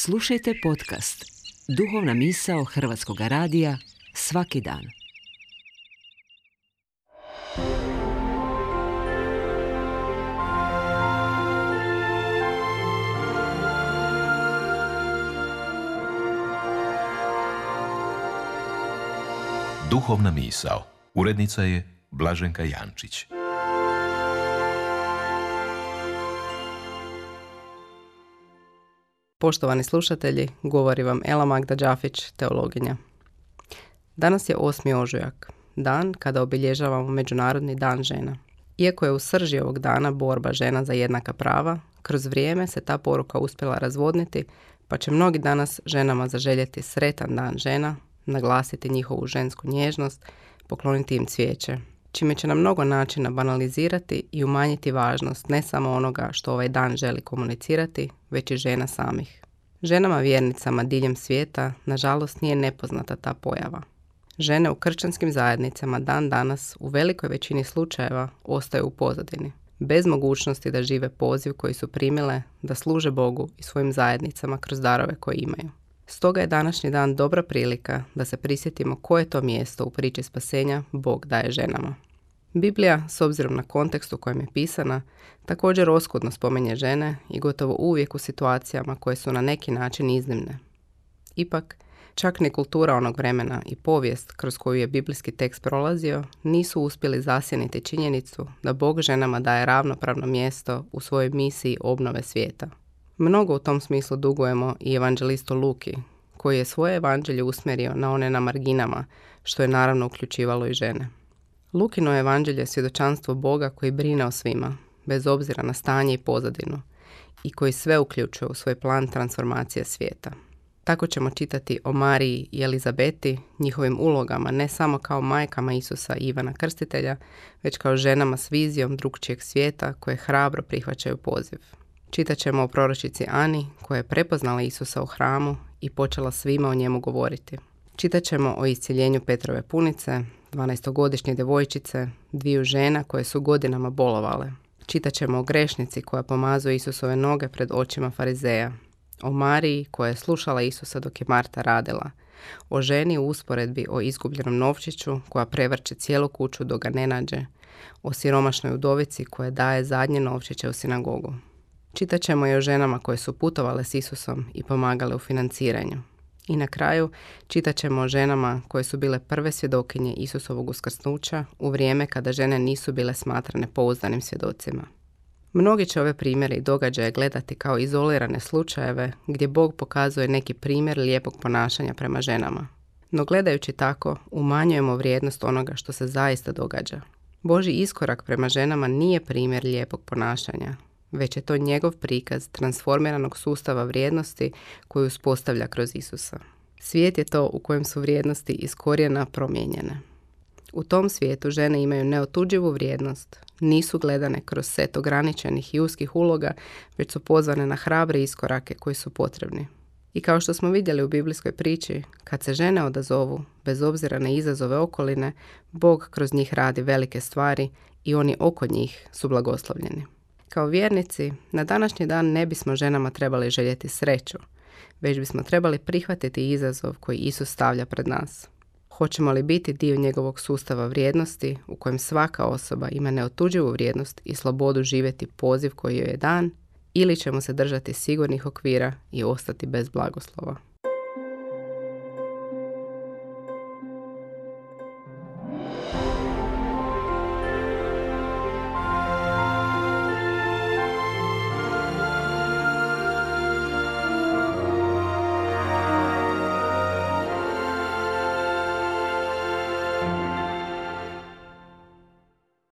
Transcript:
Slušajte podcast Duhovna misao Hrvatskog radija svaki dan. Duhovna misao. Urednica je Blaženka Jančić. Poštovani slušatelji, govori vam Ela Magda Đafić, teologinja. Danas je 8. ožujak, dan kada obilježavamo Međunarodni dan žena. Iako je u srži ovog dana borba žena za jednaka prava, kroz vrijeme se ta poruka uspjela razvodniti, pa će mnogi danas ženama zaželjeti sretan dan žena, naglasiti njihovu žensku nježnost, pokloniti im cvijeće, čime će na mnogo načina banalizirati i umanjiti važnost ne samo onoga što ovaj dan želi komunicirati, već i žena samih. Ženama vjernicama diljem svijeta, nažalost, nije nepoznata ta pojava. Žene u kršćanskim zajednicama dan danas u velikoj većini slučajeva ostaju u pozadini, bez mogućnosti da žive poziv koji su primile, da služe Bogu i svojim zajednicama kroz darove koje imaju. Stoga je današnji dan dobra prilika da se prisjetimo koje to mjesto u priči spasenja Bog daje ženama. Biblija, s obzirom na kontekst u kojem je pisana, također oskudno spominje žene i gotovo uvijek u situacijama koje su na neki način iznimne. Ipak, čak ni kultura onog vremena i povijest kroz koju je biblijski tekst prolazio nisu uspjeli zasjeniti činjenicu da Bog ženama daje ravnopravno mjesto u svojoj misiji obnove svijeta. Mnogo u tom smislu dugujemo i evanđelistu Luki, koji je svoje evanđelje usmjerio na one na marginama, što je naravno uključivalo i žene. Lukino evanđelje je svjedočanstvo Boga koji brine o svima, bez obzira na stanje i pozadinu, i koji sve uključuje u svoj plan transformacije svijeta. Tako ćemo čitati o Mariji i Elizabeti, njihovim ulogama ne samo kao majkama Isusa i Ivana Krstitelja, već kao ženama s vizijom drugčijeg svijeta koje hrabro prihvaćaju poziv. Čitat ćemo o proročici Ani koja je prepoznala Isusa u hramu i počela svima o njemu govoriti. Čitat ćemo o iscjeljenju Petrove punice, 12-godišnje djevojčice, 2 žena koje su godinama bolovale. Čitat ćemo o grešnici koja pomazuje Isusove noge pred očima farizeja, o Mariji koja je slušala Isusa dok je Marta radila, o ženi u usporedbi o izgubljenom novčiću koja prevrće cijelu kuću dok ga ne nađe, o siromašnoj udovici koja daje zadnje novčiće u sinagogu. Čitat ćemo i o ženama koje su putovale s Isusom i pomagale u financiranju. I na kraju čitat ćemo o ženama koje su bile prve svjedokinje Isusovog uskrsnuća u vrijeme kada žene nisu bile smatrane pouzdanim svjedocima. Mnogi će ove primjere i događaje gledati kao izolirane slučajeve gdje Bog pokazuje neki primjer lijepog ponašanja prema ženama. No gledajući tako, umanjujemo vrijednost onoga što se zaista događa. Božji iskorak prema ženama nije primjer lijepog ponašanja, već je to njegov prikaz transformiranog sustava vrijednosti koju uspostavlja kroz Isusa. Svijet je to u kojem su vrijednosti iz korijena promijenjene. U tom svijetu žene imaju neotuđivu vrijednost, nisu gledane kroz set ograničenih i uskih uloga, već su pozvane na hrabre iskorake koji su potrebni. I kao što smo vidjeli u biblijskoj priči, kad se žene odazovu, bez obzira na izazove okoline, Bog kroz njih radi velike stvari i oni oko njih su blagoslovljeni. Kao vjernici, na današnji dan ne bismo ženama trebali željeti sreću, već bismo trebali prihvatiti izazov koji Isus stavlja pred nas. Hoćemo li biti dio njegovog sustava vrijednosti u kojem svaka osoba ima neotuđivu vrijednost i slobodu živjeti poziv koji joj je dan, ili ćemo se držati sigurnih okvira i ostati bez blagoslova?